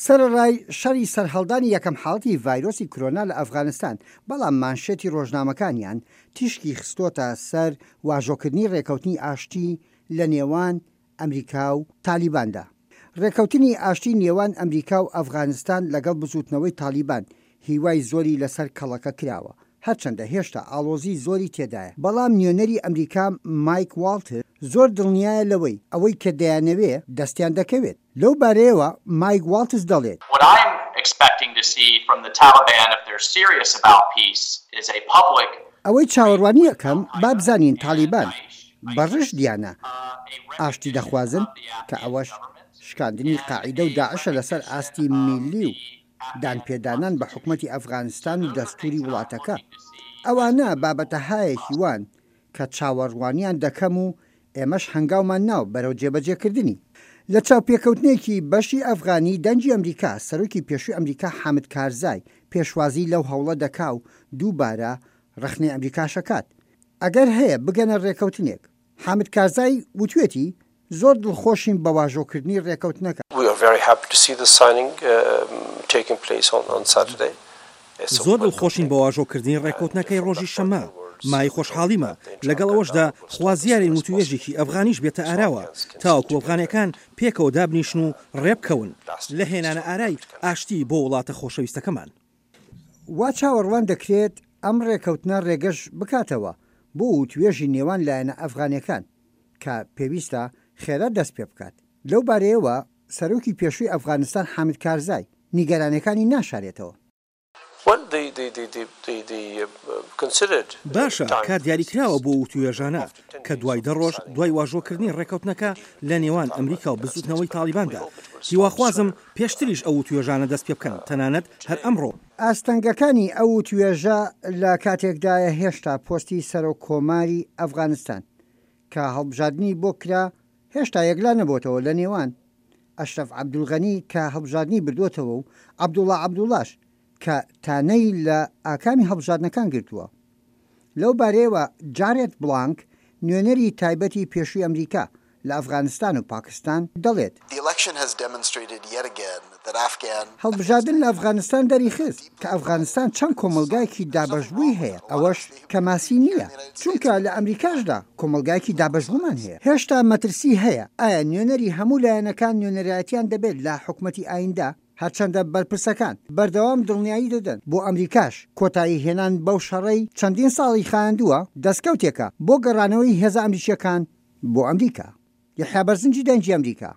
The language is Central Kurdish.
سەرەڕای شەڕی سەرهەڵدانی یەکەم حاڵەتی ڤایرۆسی کرۆنا لە ئەفغانستان، بەڵام مانشێتی ڕۆژنامەکانیان تیشکی خستۆتە سەر واژۆکردنی ڕێکەوتنی ئاشتی لە نێوان ئەمریکا و تالیباندا. ڕێکەوتنی ئاشتی نێوان ئەمریکا و ئەفغانستان لەگەڵ بزوتنەوەی تالیبان هیوای زۆری لەسەر کەڵەکە کراوە، هەرچەندە هێشتا ئاڵۆزی زۆری تێدایە، بەڵام نوێنەری ئەمریکا مایک واڵتز زۆر دڵنیایە لەوەی ئەوەی کە دەیانەوێ دەستیان دەکەوێت. لەو بارەیەوە مایک واڵتز دەڵێت. What I'm expecting to see from the Taliban if they're serious about peace is a public. ئەوەی چاوەڕوانی ئەکەم با بزانین تاڵیبان بە ڕژدیانە ئاشتی دەخوازن کە ئەوەش شکاندنی قاعیدە و داعشە لەسەر ئاستی میللی و دانپێدانان بە حکومەتی ئەفغانستان و دەستوری وڵاتەکە. ئەوانە بابەتەهایەکی وان کە چاوەڕوانیان دەکەم و ئێمەش هەنگاومان ناو بەرەو جێبەجێکردنی. لە چاوپێکەوتنێکی بەشی ئەفغانی دەنگی ئەمریکا، سەرۆکی پێشووی ئەمریکا حامد کارزای پێشوازی لەو هەوڵە دەکا و دووبارە ڕەخنەی ئەمریکاش ئەکات. ئەگەر هەیە بگەنە ڕێکەوتنێک. حامد کارزای وتوێتی زۆر دڵخۆشین بە واژۆکردنی ڕێکەوتنەکە. We are very happy to see the signing taking place on Saturday. زۆر دڵخۆشین بە واژۆکردنی ڕێککەوتنەکەی ڕۆژی شەممە، مایەی خۆشحاڵیمە، لەگەڵ ئەوەشدا خوازیارین وتوێژێکی ئەفغانیش بێتە ئاراوە، تاوەکو ئەفغانییەکان پێکەوە دابنیشن و ڕێبکەون لە هێنانە ئارای ئاشتی بۆ وڵاتە خۆشەویستەکەمان. وا چاوەڕوان دەکرێت ئەم ڕێکەوتنە ڕێگەش بکاتەوە بۆ وتوێژی نێوان لایەنە ئەفغانیەکان کە پێویستە خێرا دەست پێبکات. لەو بارەیەوە سەرۆکی پێشووی ئەفغانستان حامد کارزای نیگەرانیەکانی ناشارێتەوە. باشە، کات دیاریکراوە بۆ وتوێژانە، کە دوای دە ڕۆژ دوای واژۆکردنی ڕێککەوتنەکە لە نێوان ئەمریکا و بزوتنەوەی تاڵیباندا، هیواخوازم پێشتریش ئەو وتوێژانە دەستپێبکەن، تەنانەت هەر ئەمڕۆ. ئاستەنگەکانی ئەو وتوێژە لە کاتێکدایە هێشتا پۆستی سەرۆک کۆماری ئەفغانستان کە هەڵبژاردنی بۆ کرا هێشتا یەکلا نەبۆتەوە لە نێوان ئەشرەف عەبدولغەنی کە هەڵبژاردنی بردووەتەوە و عەبدوڵا عەبدوڵاش کە تانەی لە ئاکامی هەڵبژاردنەکان گرتووە. لەو بارەیەوە جارێت بڵانک، نوێنەری تایبەتی پێشووی ئەمریکا لە ئەفغانستان و پاکستان دەڵێت، هەڵبژاردن لە ئەفغانستان دەریخست کە ئەفغانستان چەند کۆمەڵگایەکی دابەشبووی هەیە، ئەوەش کەماسی نییە، چونکە لە ئەمریکاشدا کۆمەڵگایەکی دابەشبوومان هەیە. هێشتا مەترسی هەیە ئایا نوێنەری هەموو لایەنەکان نوێنەرایەتیان دەبێت لە حکومەتی ئایندە؟ هەرچەندە بەرپرسەکان بەردەوام دڵنیایی دەدەن بۆ ئەمریکاش کۆتایی هێنان بەو شەڕەی چەندین ساڵی خایاندووە دەستکەوتێکە بۆ گەڕانەوەی هێزە ئەمریکییەکان بۆ ئەمریکا. یەحیا بەرزنجی دەنگی ئەمریکا.